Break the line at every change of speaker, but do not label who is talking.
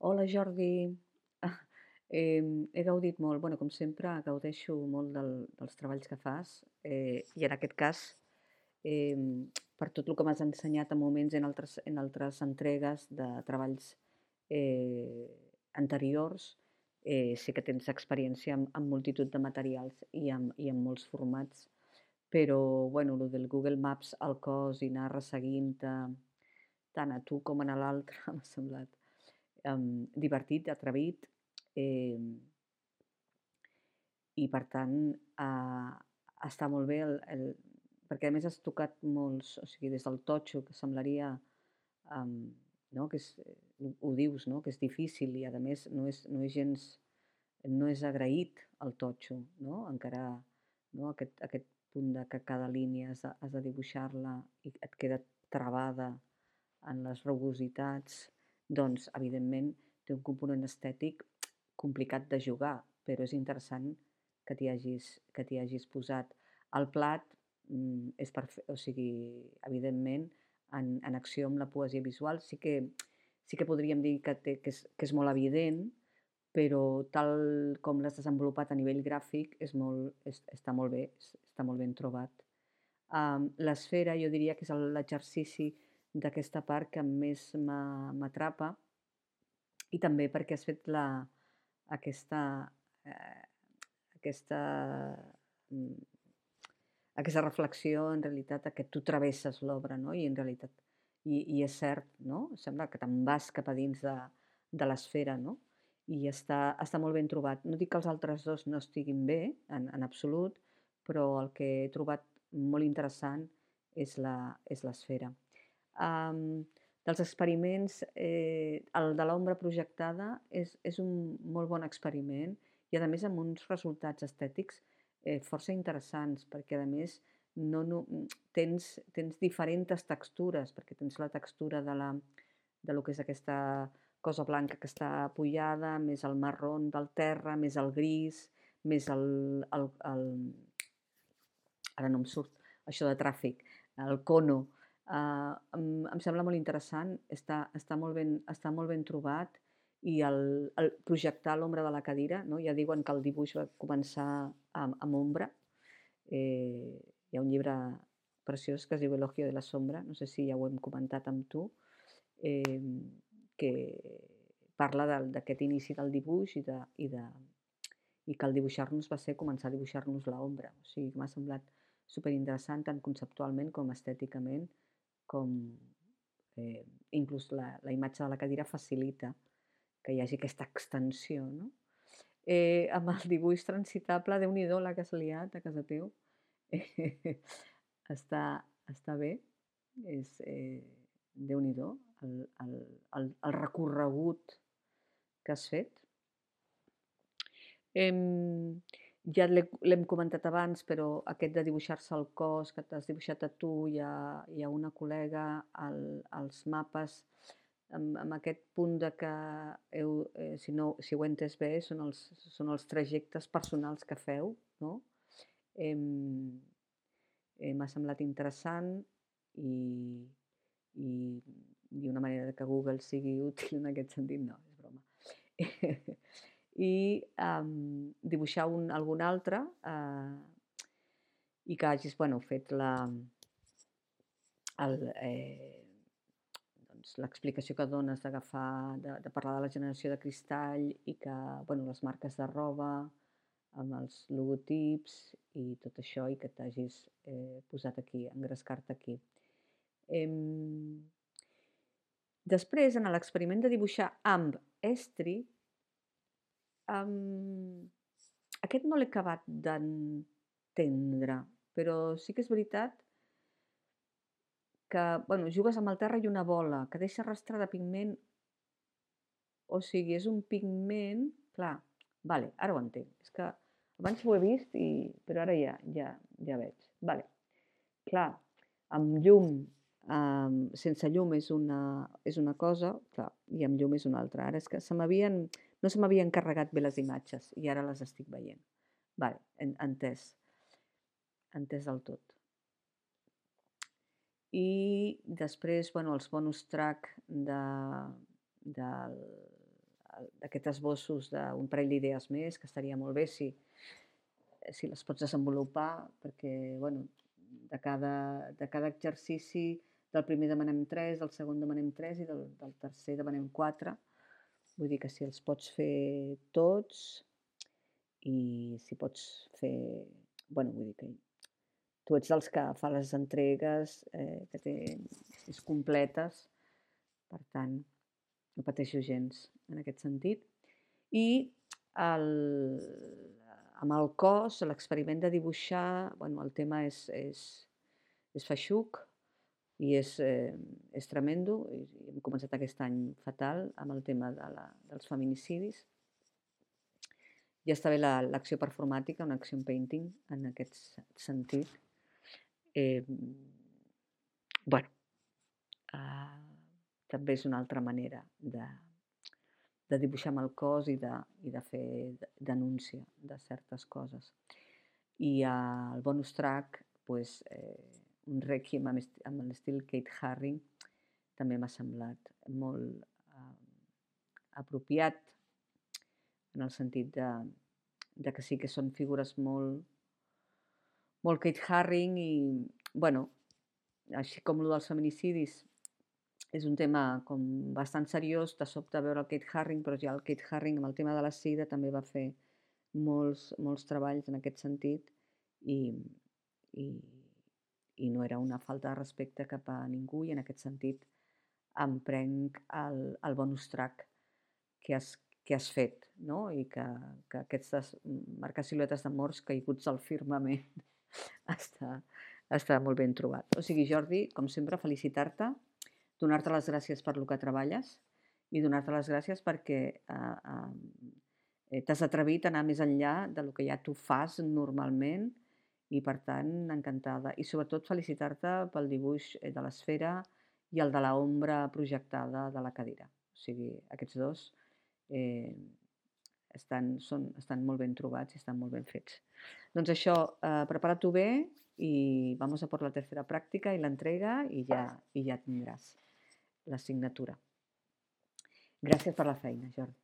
Hola Jordi. Ah, he gaudit molt, bueno, com sempre, gaudeixo molt dels treballs que fas i en aquest cas, per tot el que m'has ensenyat en moments en altres entregues de treballs eh, anteriors, sé que tens experiència en multitud de materials i en molts formats, però bueno, el del Google Maps al cos i anar resseguint-te tant a tu com a l'altre m'ha semblat divertit, atrevit, eh, i per tant està molt bé perquè a més has tocat molts, o sigui, des del totxo, que semblaria, em, no, que és, ho dius, no, que és difícil i a més no és gens, no és agraït el totxo, no? Encara, no, aquest punt de que cada línia has de dibuixar-la i et queda travada en les rugositats, doncs, evidentment, té un component estètic complicat de jugar, però és interessant que t'hi hagis posat. El plat és o sigui, evidentment, en acció amb la poesia visual sí que podríem dir que és molt evident, però tal com l'has desenvolupat a nivell gràfic està molt bé, està molt ben trobat. L'esfera jo diria que és l'exercici d'aquesta part que més m'atrapa i també perquè has fet aquesta, eh, aquesta, mm, aquesta reflexió en realitat a que tu travesses l'obra, no? I en realitat, i és cert, no? Sembla que te'n vas cap a dins de l'esfera, no? I està molt ben trobat. No dic que els altres dos no estiguin bé, en absolut, però el que he trobat molt interessant és l'esfera. Um, dels experiments, el de l'ombra projectada és un molt bon experiment i a més amb uns resultats estètics força interessants, perquè a més no, tens diferents textures, perquè tens la textura de lo que és aquesta cosa blanca que està apoyada, més el marrón del terra, més el gris, més ara no em surt això de tràfic, el cono. Em sembla molt interessant, està molt ben trobat i el projectar l'ombra de la cadira, no? Ja diuen que el dibuix va començar amb ombra. Hi ha un llibre preciós que es diu Elogio de la sombra, no sé si ja ho hem comentat amb tu, eh, que parla d'aquest inici del dibuix i que el dibuixar-nos va ser començar a dibuixar-nos l'ombra. O sigui, m'ha semblat superinteressant tant conceptualment com estèticament, com eh, inclús la imatge de la cadira facilita que hi hagi aquesta extensió, no? Amb el dibuix transitable, déu-n'hi-do la que has liat a casa teu. Està, està bé, és déu-n'hi-do el, el, el recorregut que has fet. Ja l'hem comentat abans, però aquest de dibuixar-se el cos, que t'has dibuixat a tu i a una col·lega, els mapes, amb aquest punt de que, si ho he entès bé, són els trajectes personals que feu, no? Em, M'ha semblat interessant i, i, i una manera que Google sigui útil en aquest sentit, no, és broma. I dibuixar algun altre i que hagis bueno, fet doncs, l'explicació que dones d'agafar, de parlar de la generació de cristall i que bueno, les marques de roba, amb els logotips i tot això i que t'hagis posat aquí, engrescar-te aquí. Després, en l'experiment de dibuixar amb estri, aquest no l'he acabat d'entendre, però sí que és veritat que bueno, jugues amb el terra i una bola que deixa rastre de pigment, o sigui, és un pigment, clar, vale, ara ho entenc. És que abans ho he vist, però ara ja veig. Vale, clar, amb llum, sense llum és una cosa, clar, i amb llum és una altra. Ara és que no se m'havien carregat bé les imatges i ara les estic veient. Vale, entès, entès del tot. I després, bueno, els bonus track del d'aquests esbossos d'un parell d'idees més, que estaria molt bé si les pots desenvolupar, perquè bueno, de cada exercici, del primer demanem 3, del segon demanem 3 i del tercer demanem 4. Vull dir que si els pots fer tots i si pots fer... Bueno, vull dir que tu ets dels que fa les entregues, que és completes, per tant, no pateixo gens en aquest sentit. I amb el cos, l'experiment de dibuixar, bueno, el tema és feixuc i és tremendo. I hem començat aquest any fatal amb el tema dels feminicidis. Ja està bé l'acció performàtica, un action painting, en aquest sentit. Bueno, també és una altra manera de dibuixar amb el cos i de fer denúncia de certes coses. I el bonus track, pues, un rèquiem amb l'estil Kate Haring, també m'ha semblat molt apropiat, en el sentit de que sí que són figures molt Kate Haring i, bueno, així com el dels feminicidis és un tema com bastant seriós, de sobte veure el Kate Haring, però ja el Kate Haring amb el tema de la sida també va fer molts treballs en aquest sentit i no era una falta de respecte cap a ningú, i en aquest sentit em prenc el bonus track que has fet, no? I que aquestes marcar siluetes de morts caiguts al firmament està molt ben trobat. O sigui, Jordi, com sempre, felicitar-te, donar-te les gràcies per el que treballes i donar-te les gràcies perquè t'has atrevit a anar més enllà del que ja tu fas normalment i, per tant, encantada. I sobretot felicitar-te pel dibuix de l'esfera i el de l'ombra projectada de la cadira. O sigui, aquests dos estan molt ben trobats i estan molt ben fets. Doncs això, prepara-t'ho bé i vamos a por la tercera pràctica i l'entrega i ja tindràs la signatura. Gràcies per la feina, Jordi.